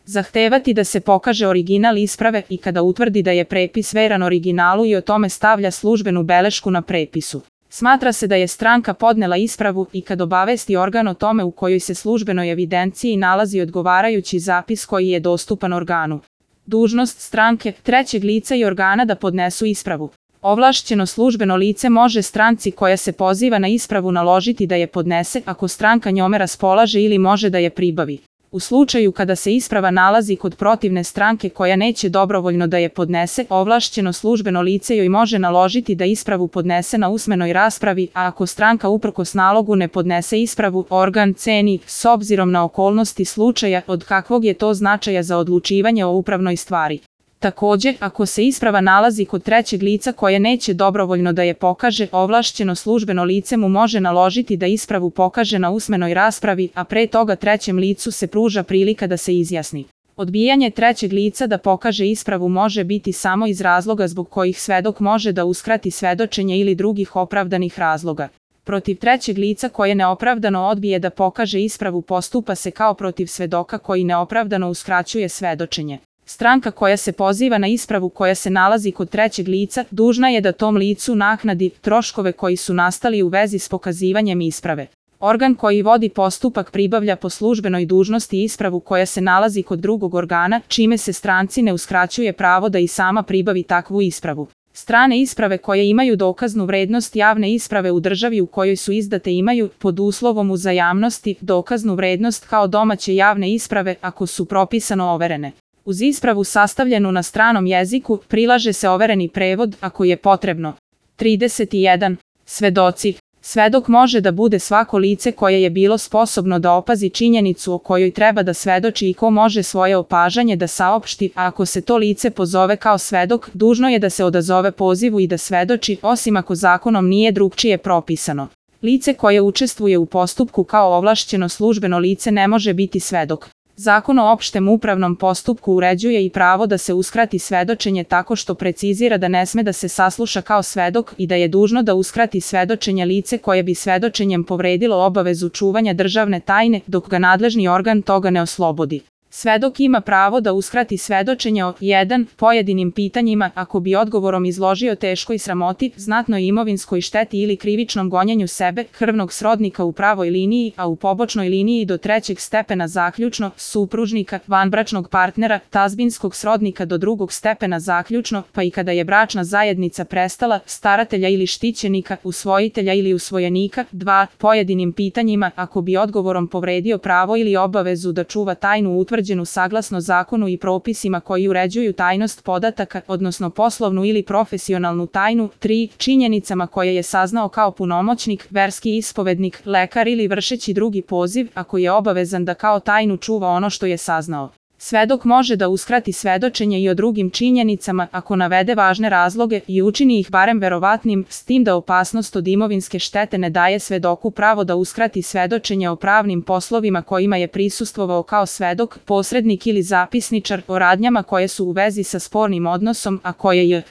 zahtevati da se pokaže original isprave i kada utvrdi da je prepis veran originalu i o tome stavlja službenu belešku na prepisu. Smatra se da je stranka podnela ispravu i kad obavesti organ o tome u kojoj se službenoj evidenciji nalazi odgovarajući zapis koji je dostupan organu. Dužnost stranke, trećeg lica i organa da podnesu ispravu. Ovlašćeno službeno lice može stranci koja se poziva na ispravu naložiti da je podnese ako stranka njome raspolaže ili može da je pribavi. U slučaju kada se isprava nalazi kod protivne stranke koja neće dobrovoljno da je podnese, ovlašćeno službeno lice joj može naložiti da ispravu podnese na usmenoj raspravi, a ako stranka uprkos nalogu ne podnese ispravu, organ ceni, s obzirom na okolnosti slučaja, od kakvog je to značaja za odlučivanje o upravnoj stvari. Takođe, ako se isprava nalazi kod trećeg lica koje neće dobrovoljno da je pokaže, ovlašćeno službeno lice mu može naložiti da ispravu pokaže na usmenoj raspravi, a pre toga trećem licu se pruža prilika da se izjasni. Odbijanje trećeg lica da pokaže ispravu može biti samo iz razloga zbog kojih svedok može da uskrati svedočenje ili drugih opravdanih razloga. Protiv trećeg lica koje neopravdano odbije da pokaže ispravu postupa se kao protiv svedoka koji neopravdano uskraćuje svedočenje. Stranka koja se poziva na ispravu koja se nalazi kod trećeg lica dužna je da tom licu naknadi troškove koji su nastali u vezi s pokazivanjem isprave. Organ koji vodi postupak pribavlja po službenoj dužnosti ispravu koja se nalazi kod drugog organa, čime se stranci ne uskraćuje pravo da i sama pribavi takvu ispravu. Strane isprave koje imaju dokaznu vrednost javne isprave u državi u kojoj su izdate imaju, pod uslovom uzajamnosti, dokaznu vrednost kao domaće javne isprave ako su propisano overene. Uz ispravu sastavljenu na stranom jeziku, prilaže se overeni prevod ako je potrebno. 31. Svedoci. Svedok može da bude svako lice koje je bilo sposobno da opazi činjenicu o kojoj treba da svedoči i ko može svoje opažanje da saopšti, a ako se to lice pozove kao svedok, dužno je da se odazove pozivu i da svedoči, osim ako zakonom nije drugčije propisano. Lice koje učestvuje u postupku kao ovlašćeno službeno lice ne može biti svedok. Zakon o opštem upravnom postupku uređuje i pravo da se uskrati svedočenje tako što precizira da ne sme da se sasluša kao svedok i da je dužno da uskrati svedočenje lice koje bi svedočenjem povredilo obavezu čuvanja državne tajne dok ga nadležni organ toga ne oslobodi. Svedok ima pravo da uskrati svedočenje o 1. pojedinim pitanjima ako bi odgovorom izložio teškoj sramoti, znatnoj imovinskoj šteti ili krivičnom gonjenju sebe, krvnog srodnika u pravoj liniji, a u pobočnoj liniji do trećeg stepena zaključno, supružnika, vanbračnog partnera, tazbinskog srodnika do drugog stepena zaključno, pa i kada je bračna zajednica prestala, staratelja ili štićenika, usvojitelja ili usvojenika. 2. pojedinim pitanjima ako bi odgovorom povredio pravo ili obavezu da čuva tajnu utvrđenu saglasno zakonu i propisima koji uređuju tajnost podataka, odnosno poslovnu ili profesionalnu tajnu. 3. činjenicama koje je saznao kao punomoćnik, verski ispovednik, lekar ili vršeći drugi poziv, ako je obavezan da kao tajnu čuva ono što je saznao. Svedok može da uskrati svedočenje i o drugim činjenicama ako navede važne razloge i učini ih barem verovatnim, s tim da opasnost od imovinske štete ne daje svedoku pravo da uskrati svedočenje o pravnim poslovima kojima je prisustvovao kao svedok, posrednik ili zapisničar, o radnjama koje su u vezi sa spornim odnosom, a koje je